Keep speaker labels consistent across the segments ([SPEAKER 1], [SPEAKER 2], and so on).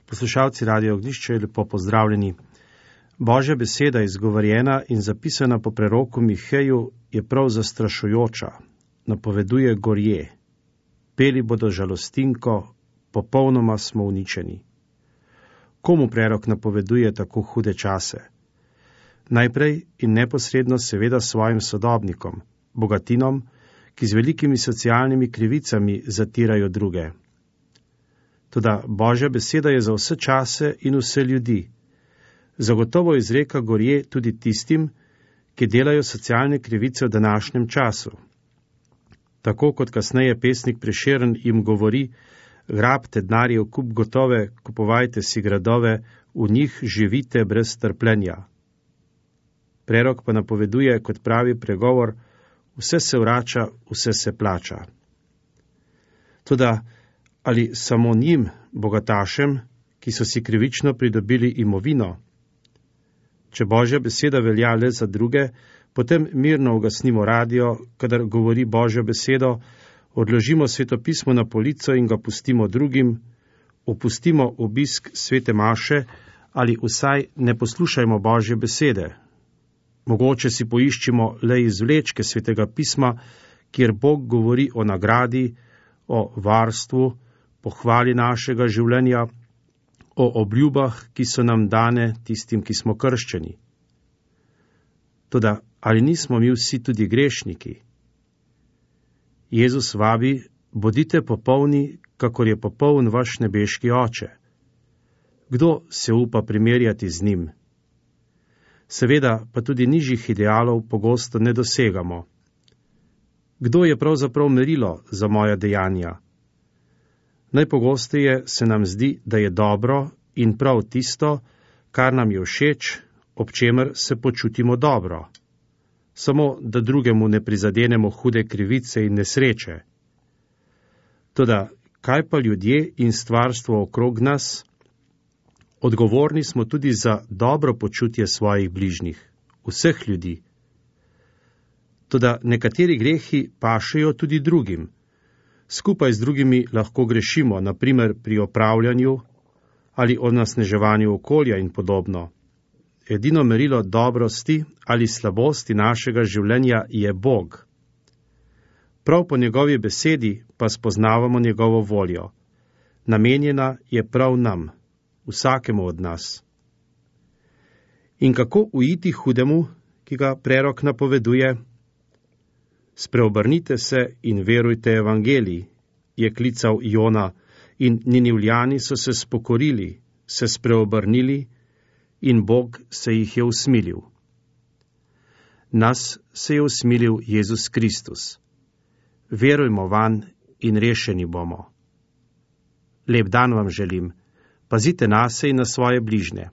[SPEAKER 1] Poslušalci Radio Ognjišče, lepo pozdravljeni. Božja beseda, izgovorjena in zapisana po preroku Miheju, je prav zastrašujoča. Napoveduje gorje. Peli bodo žalostinko, popolnoma smo uničeni. Komu prerok napoveduje tako hude čase? Najprej in neposredno seveda svojim sodobnikom, bogatinom, ki z velikimi socialnimi krivicami zatirajo druge. Toda Božja beseda je za vse čase in vse ljudi. Zagotovo izreka gorje tudi tistim, ki delajo socialne krivice v današnjem času. Tako kot kasneje pesnik Prešeren jim govori: grabte denarje v kup gotove, kupovajte si gradove, v njih živite brez trpljenja. Prerok pa napoveduje, kot pravi pregovor: vse se vrača, vse se plača. Toda ali samo njim, bogatašem, ki so si krivično pridobili imovino? Če Božja beseda velja le za druge, potem mirno ugasnimo radio, kadar govori Božjo besedo, odložimo svetopismo na polico in ga pustimo drugim, opustimo obisk svete maše ali vsaj ne poslušajmo Božje besede. Mogoče si poiščimo le izvlečke svetega pisma, kjer Bog govori o nagradi, o varstvu, pohvali našega življenja, o obljubah, ki so nam dane tistim, ki smo krščeni. Toda ali nismo mi vsi tudi grešniki? Jezus vabi: bodite popolni, kakor je popoln vaš nebeški Oče. Kdo se upa primerjati z njim? Seveda pa tudi nižjih idealov pogosto ne dosegamo. Kdo je pravzaprav merilo za moja dejanja? Najpogosteje se nam zdi, da je dobro in prav tisto, kar nam je všeč, ob čemer se počutimo dobro. Samo, da drugemu ne prizadenemo hude krivice in nesreče. Toda, kaj pa ljudje in stvarstvo okrog nas? Odgovorni smo tudi za dobro počutje svojih bližnjih, vseh ljudi. Toda nekateri grehi pašejo tudi drugim. Skupaj z drugimi lahko grešimo, naprimer pri opravljanju ali onesnaževanju okolja in podobno. Edino merilo dobrosti ali slabosti našega življenja je Bog. Prav po njegovi besedi pa spoznavamo njegovo voljo. Namenjena je prav nam, vsakemu od nas. In kako uiti hudemu, ki ga prerok napoveduje? Spreobrnite se in verujte evangeliji, je klical Jona, in Ninivljani so se spokorili, se spreobrnili in Bog se jih je usmilil. Nas se je usmilil Jezus Kristus. Verujmo vanj in rešeni bomo. Lep dan vam želim. Pazite nase in na svoje bližnje.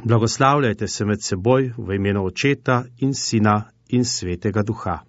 [SPEAKER 1] Blagoslavljajte se med seboj v imenu Očeta in Sina in Svetega Duha.